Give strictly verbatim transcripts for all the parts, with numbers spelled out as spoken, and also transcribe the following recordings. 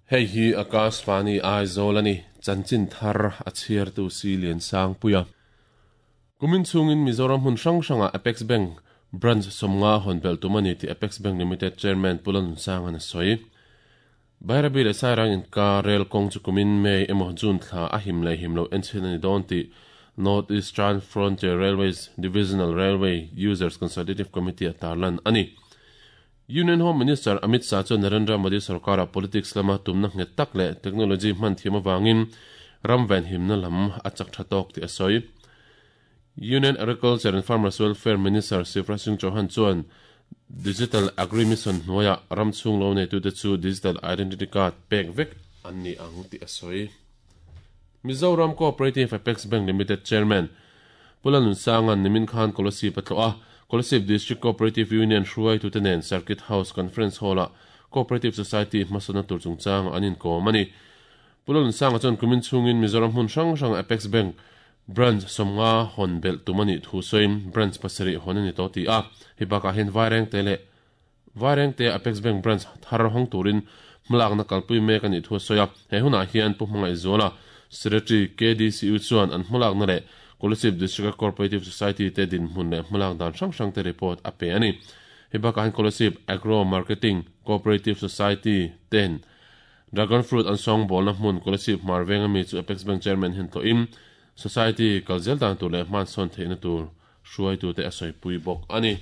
Hei hi Akashvani Aizawl ani chanchin thar a chhiartu si lian sang puia. Kumin chungin Mizoram hun hrang hranga Apex Bank branch somnga honbel tumani ti Apex Bank Limited Chairman Pulan Sang an soi. Bairabi le Sairang in ka rail kong chu kumin May emaw June thla a him le him lo enchin ani don ti North Eastern Frontier Railways Divisional Railway Users Consultative Committee atarlan ani. Union Home Minister Amit Shah chu Narendra Modi sarkara politics lama tumna nge tak le technology man thiam awangin ram ven himna lam a chak thatok ti asoi. Union Agriculture and Farmers Welfare Minister Shivraj Singh Chauhan chuan Digital Agri Mission hnuaia ram chung lo nei tu te chu Digital Identity Card pek vek an ni ang ti asoi. Mizoram Cooperative Apex Bank Limited Chairman Pulanun Sangan Nimin Khan Kolosip atloa Kolosip District Cooperative Union hruai tu te nen Circuit House Conference Hall a Cooperative Society hmasana tur chungchang anin ko mani. Pulanun Sanga chuan kumin chungin Mizoram hun hrang hrang Apex Bank branch somnga hon bel tumani thu soim branch pasari honani to ti a hibaka hen vaireng te le vaireng te Apex Bank branch thar hong turin mlak na kalpui mek ani thu soya he huna hian pu hmangai zola Secretary K D C U chuan an hmulak na le Kolasib District Cooperative Society te din hmun le hmulak dan hrang hrang te report a pe ani hibaka hen Kolasib Agro Marketing Cooperative Society ten Dragon Fruit an song bol na hmun Kolasib Marveng ami chu Apex Bank Chairman hen to im Society kalzel dan tur le man son theina tur hruai tu te asoi pui bok ani.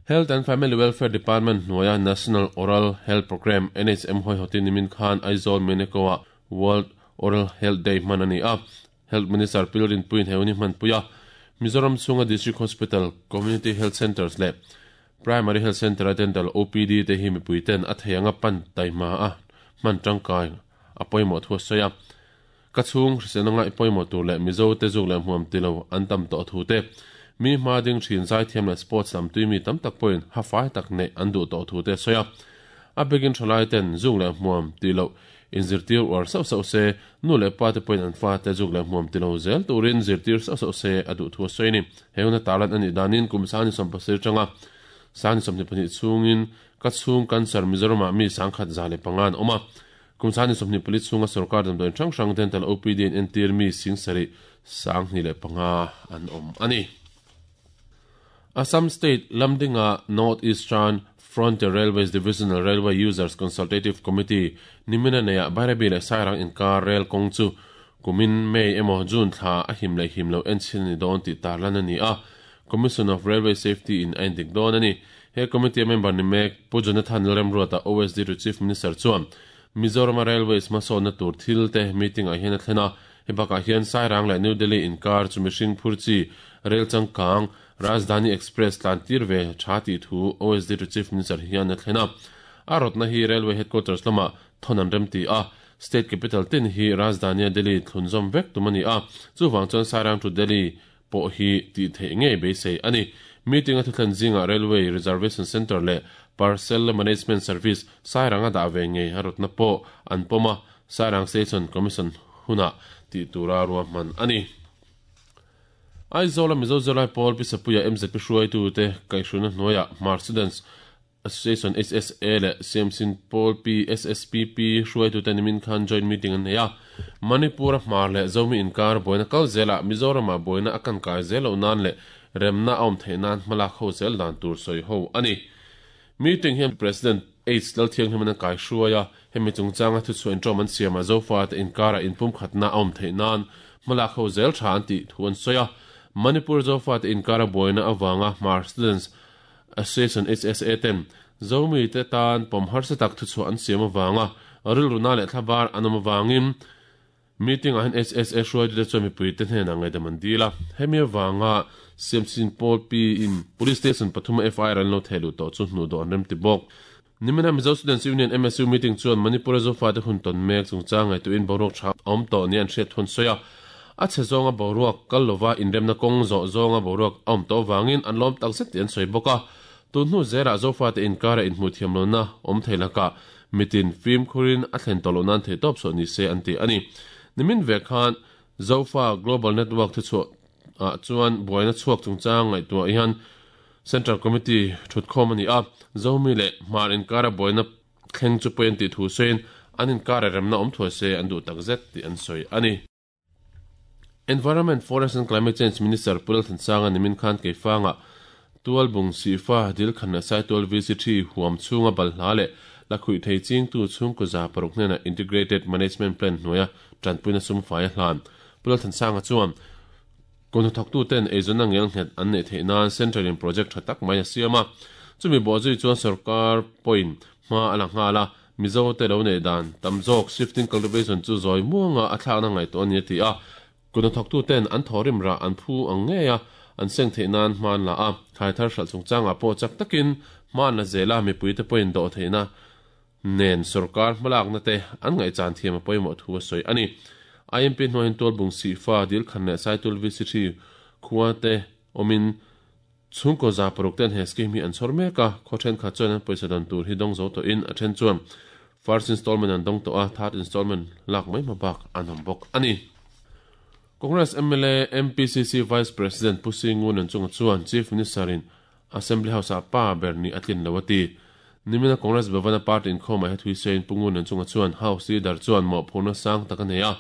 Health and Family Welfare Department hnuaia National Oral Health Program N H M hoi hotin nimin khan Aizawl Menekoa World Oral Health Day man ani a. Health Minister Pilrin Puin heuni man puya Mizoram chunga District Hospital Community Health Centers le Primary Health Center Dental O P D te hi mi puiten a theianga pan taima a man tangkai apoimo thu soya. Ka chung hriselna ipoimo tur le Mizo te zuk le hmuam tilo an tam to thu te mi hma ding thin zai thiam le sports lam tui mi tam tak point ha fai tak ne an du to thu te soya a begin thalai ten zuk le hmuam tilo in zirtir war sau sau se nu le pa te point an fa te zuk le hmuam tilo zel turin zirtir sau sau se adu thu soini heuna talan ani danin kum sani som pasir changa sani som ni pani chungin ka chung cancer Mizoram mi sangkhat zale pangan oma kumsani somni police chunga sarkar dam don chang hrang dental O P D in entir mi sing sari sang ni le panga an om ani. Assam State Lamdinga North Eastern Frontier Railways Divisional Railway Users Consultative Committee nimina neya Bairabi le Sairang in kar rail kong chu kumin May emaw June thla a him le him lo enchin ni don ti tarlan ani a Commission of Railway Safety in Endik don ani he committee member ni mek Pu Jonathan Lemruata O S D to Chief Minister chuan Mizoram Railways masona tur thil te meeting a hian a thlena hibaka hian Sairang le New Delhi in kar chu mihring phurchi rail changkang Rajdhani Express tlantir ve thati thu O S D to Chief Minister hian a thlena a rotna hi Railway Headquarters lama thonan remti a State Capital tin hi Rajdhani Delhi thlunzom vek tumani a chuwang chuan Sairang to Delhi po hi ti the nge beisei ani meeting a thlen zinga Railway Reservation Center le Parcel Management Service Sairanga da ve nge harotna po an poma Sairang Station Commission huna ti tura ruwa man ani. Aizawl Mizo Zolai Paul Pisapuia M Z P hruai tu te kaisuna hnuaia Hmar Students Association S S A le Siamsin Paul P S S P P hruai tu te nimin khan joint meeting an neia Manipur Hmar le Zomi inkar boina kal zela Mizoram boina akan kai zelo nan le remna awm theinan hmalak ho zel dan tur soi ho ani. Meeting hian President H Lalthiang hian kai hruaia hemi chungchanga thu chuan tawm an siama zofa te inkara inpum khatna awm theinan hmalak ho zel tha an ti thu an soya Manipur zofa te inkara boina awanga Hmar Students Association H S A ten Zomi te tan pom harsa tak thu chu an siam awanga rilruna le thlabar anam awangin meeting a hen H S A hruai te chuan mipui te hnenah ngaihdam an dila hemi awanga Siamsin Paul P in Police Station pathum F I R an lo thelu to chu hnu do an rem ti bawk. Nimina Mizo Students Union M S U meeting chuan Manipur zofa te hun ton mek chungchang ngai tu in boruak tha awm tawh ni an hriat thun soya a che zawnga boruak kal lova inremna kawng zawh zawnga boruak awm tawh wangin an lawm tak zet ti an sawi bawk a tun hnu zera zofa te inkara inhmu thiam lo na awm thei laka mitin fim khurin a thlen tawh lo nan thei tawp saw ni se an ti ani. Nimin ve khan Zofa Global Network thu chu a chuan buaina chhuak chungchang ngai tuah hian Central Committee thut khawm ani a Zomi le Hmar inkara buaina thleng chu pawi an tih thu sawiin an inkar remna awm thuai se an duh takzet tih an sawi a ni. Environment, Forest and Climate Change Minister Pu Lalthansanga nimin khan Keifanga Tualbung Sifa dil khan leh Saitual V C three huam chhunga balhla leh lakhuih thei chingtu chhungkaw za paruk hnenah Integrated Management Plan hnuaia tanpuina sum fai a hlan. Pu Lalthansanga chuan kawhnathawktu ten eizawnna ngel nghet an neih theih nan Central in project tha tak mai a siam a. Chumi bawhzui chuan sarkar pawhin hma a la nghal a, Mizo te lo neih dan tam zawk shifting cultivation chu zawi muanga a thlakna ngaihtuah a ni a ti a. Kawhnathawktu ten an thawrim rah an phu ang ngei a, an seng theih nan hma an la a, thlai thar hralh chungchangah pawh chak takin hma an la zel a, mipuite pawhin dawh theihna nen sarkar hmalakna te an ngaihchan thiam a pawimawh thu a sawi a ni. I M P hnuaiin Tualbung Sihfa dil khan leh Saitul V C three khua te awmin chhungkaw za paruk ten he scheme hi an chhawr mek a, khaw thenkhat chuan an pawisa dan tur hi dawng zo tawhin a then chuan first installment an dawng tawh a, third installment lak mai hma bak an awm bawk a ni. Congress M L A M P C C Vice President Pu Singun an chunga chuan Chief Minister in Assembly House ah pa ber ni a tlin lo a ti. Nimina Congress Bhavana Party inkhawmah he thui sawiin Pu Ngun an chunga chuan House leader chuan mawhphurhna sang tak a nei a.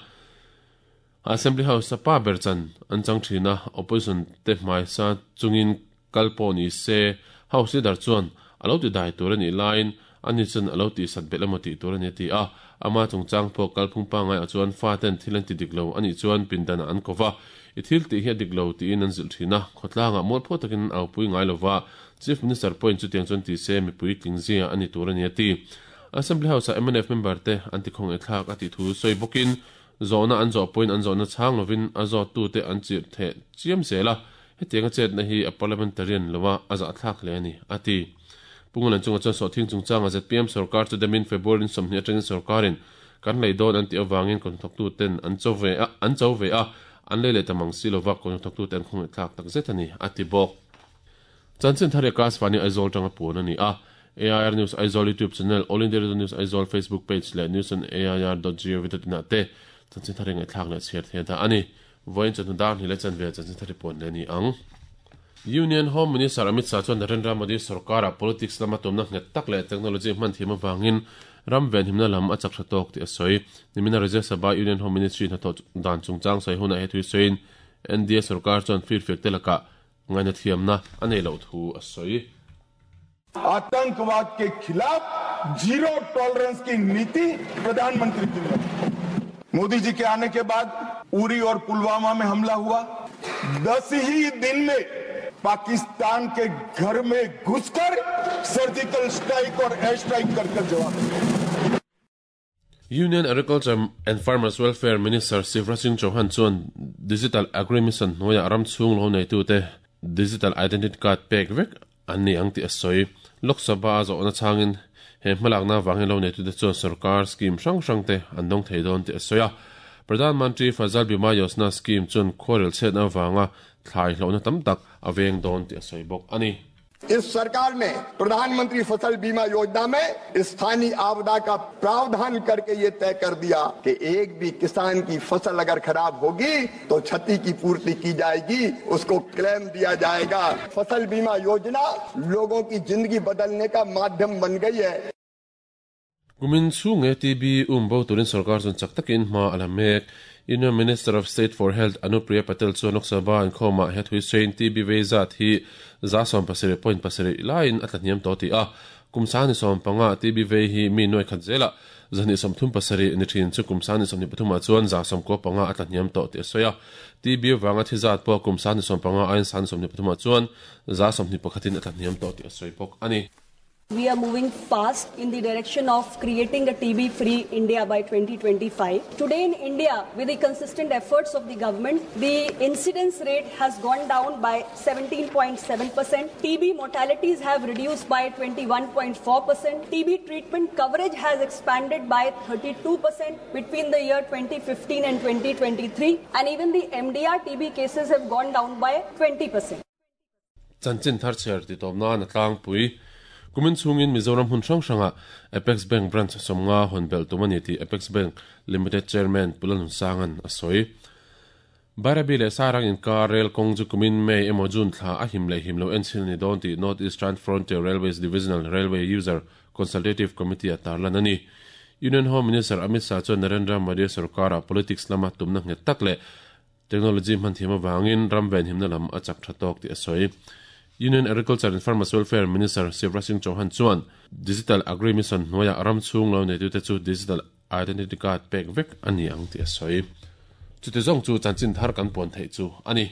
Assembly House a pa ber chan an chang thin a, opposition te hmai sa chungin kal pawh ni se House leader chuan a lo ti dai tur a nih laiin ani chuan a lo tih sat belh emaw tih tur a ni a ti a. Ama chungchang pawh kalphung pangai ah chuan fa ten thil an ti dik lo anih chuan pindanah an ko va, i thil tih hi a dik lo tiin an zilh thin a, khawtlangah mualpho takin an aupui ngai lova, Chief Minister pawhin chutiang chuan ti se mipui tling zia a ni tur a ni a ti. Assembly House ah M N F member te an ti khawng thlak a tih thu sawi bawkin zawhna an zawh pawhin an zawhna chhang lovin a zawttu te an chirh theh chiam zel a, hetiang a chetna hi a parliamentarian lova a zah thlak hle a ni a ti. Pungulan chunga chuan sawhthing chungchanga Z P M sarkar chu demin February in sawmhnih atangin sarkarin kan lei dawn an tih awangin kawhnathawktu ten an cho ve a an cho ve a an lei leh tamang si lova kawhnathawktu te an khawngeh thlak tak zet a ni a ti bawk. Chanchin thar Akas Vani Aizawl tanga puan a ni a. A I R News Aizawl YouTube channel, All India Radio News Aizawl Facebook page leh news on A I R dot gov dot in ah te chanchin thar ngai thlak leh chhiar thei dah a ni. Vawiin chawhnu dar hnih leh chanve chanchin thar puan leh ni ang. Union Home Minister Amit Shah chuan Narendra Modi sarkara politics lama tumna nghet tak leh technology hman thiam awangin ram venhimna lam a chak tha tawk tih a sawi. Nimina Rajya Sabha Union Home Ministry hnathawh dan chungchang sawi hunah he thui sawiin N D A sarkar chuan firfiak te lakah ngaina thiamna a nei loh thu a sawi. आतंकवाद के खिलाफ zero tolerance की नीति प्रधानमंत्री जी ने मोदी जी के आने के बाद उरी और पुलवामा में हमला हुआ। दस ही दिन में पाकिस्तान के घर में घुसकर सर्जिकल स्ट्राइक और एयर स्ट्राइक कर कर जवाब दिया। Union Agriculture and Farmers Welfare Minister Shivraj Singh Chauhan chuan Digital Agri Mission hnuaiah ram chhung lo neitu te Digital Identity Card pek vek an ni ang tih a sawi. Lok Sabha a zawhna changin he hmalakna wangin lo neitu te chuan sarkar scheme hrang hrang te an dawng thei dawn tih a sawi a. Pradhan Mantri Fasal Bima Yojana scheme chuan khuarel chhetna wanga thlai hlawhna tam tak a veng dawn tih a sawi bawk a ni. इस सरकार ने प्रधानमंत्री फसल बीमा योजना में स्थानीय आपदा का प्रावधान करके ये तय कर दिया कि एक भी किसान की फसल अगर खराब होगी तो क्षति की पूर्ति की जाएगी, उसको क्लेम दिया जाएगा। फसल बीमा योजना लोगों की जिंदगी बदलने का माध्यम बन गई है। Kumin chhunge T B um bo turin sarkar chuan chak takin hma a la mek. Union Minister of State for Health Anupriya Patel chuan Lok Sabha an khawmah he thui sawiin T B vei zat hi za sawm pasarih point pasarih laiin a tlahniam tawh ti a. Kum sani sawm panga T B vei hi mi nuai khat zela zahnih sawmthum pasarih ni thin chu kum sani sawmhnih pathumah chuan za sawm kua panga a tlahniam tawh ti a sawi a. T B wanga thi zat pawh kum sani sawm panga aiin sani sawmhnih pathumah chuan za sawmhnih pakhatin a tlahniam tawh ti a sawi bawk a ni. We are moving fast in the direction of creating a T B-free India by twenty twenty-five. Today in India, with the consistent efforts of the government, the incidence rate has gone down by seventeen point seven percent. T B mortalities have reduced by twenty-one point four percent. T B treatment coverage has expanded by thirty-two percent between the year twenty fifteen and twenty twenty-three. And even the M D R T B cases have gone down by twenty percent. Chanchin thar chher ti tawpna na tlangpui. Kumin chungin Mizoram hun hrang hranga Apex Bank branch sawmnga hawn belh tum a ni tih Apex Bank Limited Chairman Pu Lalnunsangan a sawi. Bairabi leh Sairang inkar rel kawng chu kumin May emaw June thla a him leh him lo enchil ni dawn tih North Eastern Frontier Railways Divisional Railway User Consultative Committee a tarlan a ni. Union Home Minister Amit Shah chuan Narendra Modi sorkara politics lama tumna nghet tak leh technology hman thiam awangin ram ven himna lam a chak tha tawk tih a sawi. Union Agriculture and Farmers Welfare Minister Shivraj Singh Chauhan chuan Digital Agri Mission hnuaiah ram chhung lo neitute chu digital identity card pek vek a ni ang tih a sawi. Chuti zawng chu chanchin thar kan puan theih chu a ni.